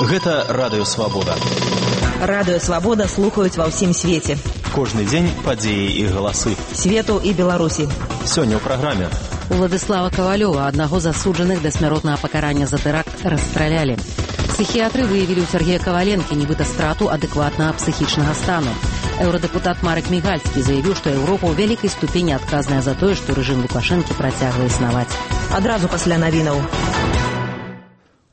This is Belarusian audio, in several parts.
Гэта Радыё Свабода. Радыё Свабода слухаюць ва ўсім свеце. Кожны дзень падзеі і галасы. Свету і Беларусі. Сёння ў праграме. Уладыслава Кавалёва, аднаго з асуджаных да смяротнага пакарання за тэракт, расстралялі. Псіхіятры выявілі ў Сергея Каваленкі нібыта страту адэкватнага псіхічнага стану. Еўрадэпутат Марек Мігальскі заявіў, што Еўропа ў вялікай ступені адказная за тое, што рэжым Лукашэнкі працягвае існаваць. Адразу пасля навінаў.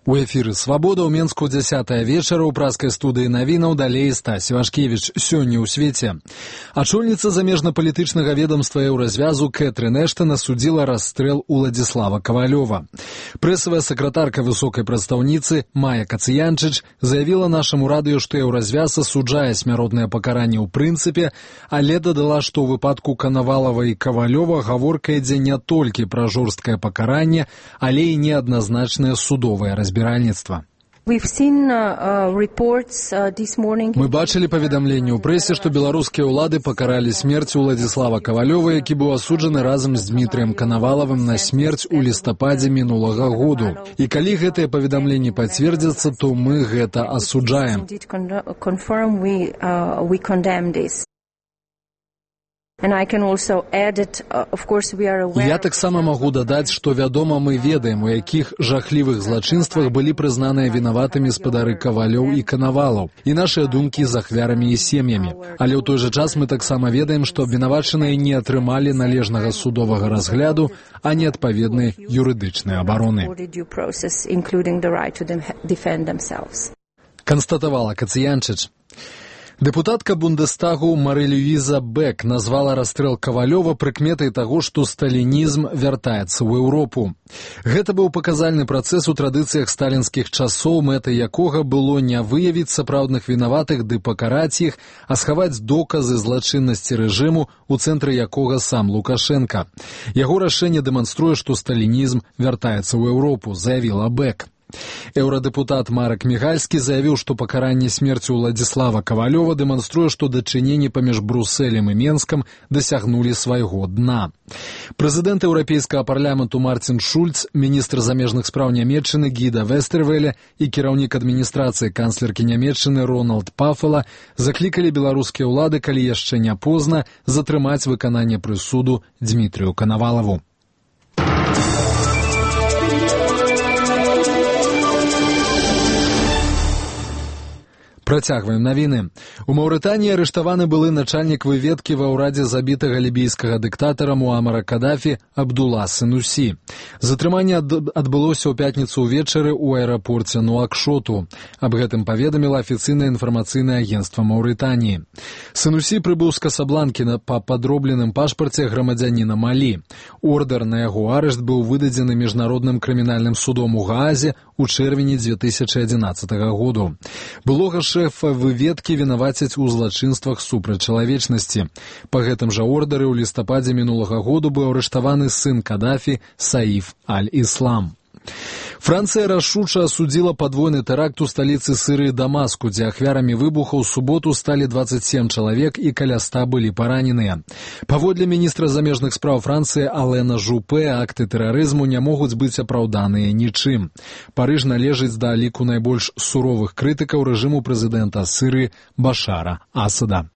У эфіры «Свабода» ў Менску 10 вечара ў праскай студыі навінаў далей Стась Івашкевіч. Сёння ў свеце. Ачольніца замежна-палітычнага ведомства Еўразвязу Кэтрын Эштан асудзіла расстрэл Уладзіслава Кавалёва. Прэсавая сакратарка высокай прадстаўніцы Майя Кацыянчыч заявіла нашаму радыё, што Еўразвяз асуджае смяротнае пакаранне ў прынцыпе, але дадала, што ў выпадку Канавалава і Кавалёва гаворка ідзе не толькі пра жорсткае пакаранне, але і неадназначнае судовае разбіральніцтва. Мы бачылі паведамленне ў прэсе, што беларускія ўлады пакаралі смерць Уладзіслава Кавалёва, які быў асуджаны разам з Дмітрыем Канавалавым на смерць у лістападзе мінулага году. І калі гэтыя паведамленні пацвердзяцца, то мы гэта асуджаем. Я таксама магу дадаць, што вядома, мы ведаем, у якіх жахлівых злачынствах былі прызнаныя вінаватымі спадары Кавалёў і Канавалаў, і нашыя думкі з ахвярамі і сем'ямі. Але ў той жа час мы таксама ведаем, што абвінавачаныя не атрымалі належнага судовага разгляду, а не адпаведнай юрыдычнай абароны. Канстатавала Кацыянчыч. Дэпутатка Бундестагу Мари-Люиза Бек назвала расстрэл Кавалёва прыкметай таго, што сталінізм вяртаецца ў Еўропу. Гэта быў паказальны працэс у традыцыях сталінскіх часоў, мэтай якога было не выявіць сапраўдных вінаватых ды пакараць іх, а схаваць доказы злачыннасці рэжыму, у цэнтры якога сам Лукашенка. Яго рашэнне дэманструе, што сталінізм вяртаецца ў Еўропу, заявіла Бек. Еўрадэпутат Марек Мігальскі заявіў, што пакаранне смерці Уладзіслава Кавалёва дэманструе, што дачыненні паміж Брусэлем і Менскам дасягнулі свайго дна. Прэзідэнт Еўрапейскага парламенту Мартин Шульц, міністр замежных спраў Нямецчыны Гіда Вестэрвеле і кіраўнік адміністрацыі канцлеркі Нямецчыны Рональд Пафела заклікалі беларускія ўлады, калі яшчэ не позна, затрымаць выкананне прысуду Дмітрыю Канавалаву. Працягваем навіны. У Маўрытаніі арыштаваны былы начальнік выведкі ва ўрадзе забітага лібійскага дыктатара Муамара Кадафі Абдулла Сенусі. Затрыманне адбылося ў пятніцу ўвечары ў аэрапорце Нуакшоту. Аб гэтым паведаміла афіцыйнае інфармацыйнае агенцтва Маўрытаніі. Сенусі прыбыў з Касабланкі па падробленым пашпарце грамадзяніна Малі. Ордар на яго арышт быў выдадзены міжнародным крымінальным судом у Гаазе ў чэрвені 2011 году. Былога шэфа выведкі вінавацяць у злачынствах супраць чалавечнасці. Па гэтым жа ордары ў лістападзе мінулага году быў арыштаваны сын Кадафі Саіф Аль-Іслам. Францыя рашуча асудзіла падвойны тэракт у сталіцы Сірыі Дамаску, дзе ахвярамі выбуха ў суботу сталі 27 чалавек і каля 100 былі параненыя. Паводле міністра замежных спраў Францыі Алена Жупе, акты тэрарызму не могуць быць апраўданыя нічым. Парыж належыць да ліку найбольш суровых крытыкаў рэжыму прэзідэнта Сірыі Башара Асада.